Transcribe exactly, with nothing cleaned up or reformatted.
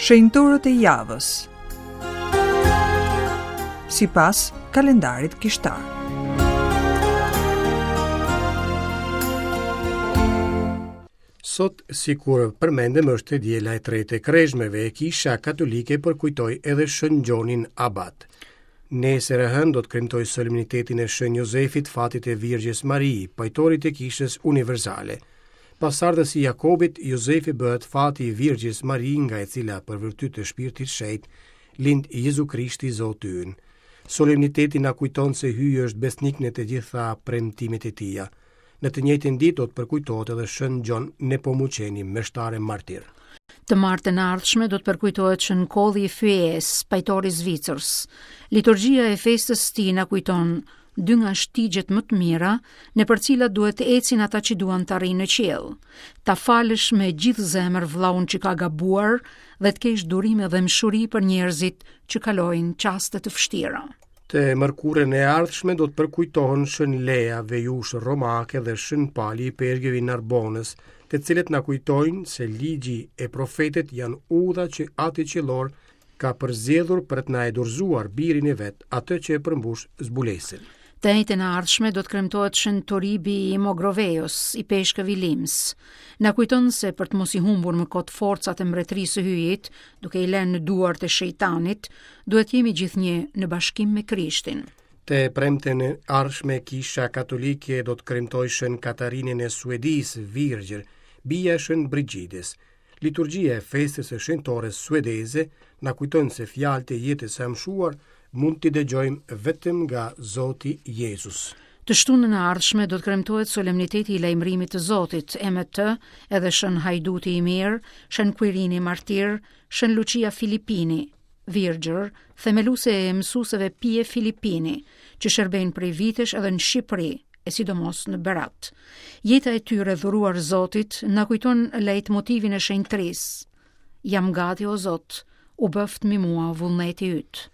Shenjtorët e javës. Sipas kalendarit kishtar. Sot, sikur përmendëm, është e diela e tretë e Kreshmeve e Kisha Katolike përkujtoi edhe Shën Gjonin Abat. Nesër e hënë do të kremtoj solemnitetin e Shën Jozefit, fatit e Virgjës Mari, pajtorit e Kishës Universale. Pasardhësi i Jakobit, Jozefi bëhet fati i Virgjës Mari, nga e cila për virtyt të Shpirtit Shenjt lind Jezu Krishti Zoti ynë. Solemniteti na kujton se Hyji është besnik në të gjitha premtimet e tija. Në të njëjtën ditë do të përkujtohet edhe Shën Gjon Nepomuçeni, meshtar e martir. Të martën e ardhshme do të përkujtohet Shën Kolli i Fyes, pajtori i Zvicrës. Liturgjia e festës së tij na kujton dy nga shtigjet më të mira nëpër cilat duhet të ecin ata që duan të arrijnë në qiell. Ta falësh me gjithë zemër vllaun që ka gabuar dhe të kesh durim dhe mëshuri për njerëzit që kalojnë çaste të vështira. Të mërkurën e ardhshme do të përkujtohen Shën Lea, vejushë romake dhe Shën Pali i Pergëvi Narbonës, të cilët na kujtojnë se ligji e profetët janë udha që Ati Qiellor ka përzgjedhur për të na e dorëzuar birin e vet, atë që e përmbush zbulesën. Të enjten e ardhshme do të kremtohet Shën Toribi i Mogrovejos, i peshkëv i Lims. Na kujton se për të mos i humbur më kot forcat e mbretërisë së Hyjit, duke i lënë në duart e shejtanit, duhet jemi gjithnjë në bashkim me Krishtin. Të premten e ardhshme Kisha Katolike do të kremtojë Shën Katarinën e Suedisë, Virgjër, bija e Shën Brigidës. Liturgjia e festës së shenjtores suedeze na kujton se fjalët e jetës së amshuar mund t'i dëgjojmë vetëm nga Zoti Jezus. Të shtunën e ardhshme do të kremtohet solemniteti i lajmërimit të Zotit, e me të edhe Shën Hajduti i Mirë, Shën Quirini Martir, Shën Lucia Filipini, Virgjër, themeluese e mësueseve Pie Filipini, që shërbejnë prej vitesh edhe në Shqipëri, e sidomos në Berat. Jeta e tyre dhuruar Zotit na kujton lajtmotivin e shenjtërisë. Jam gati, o Zot, u bëft mi mua vullneti yt.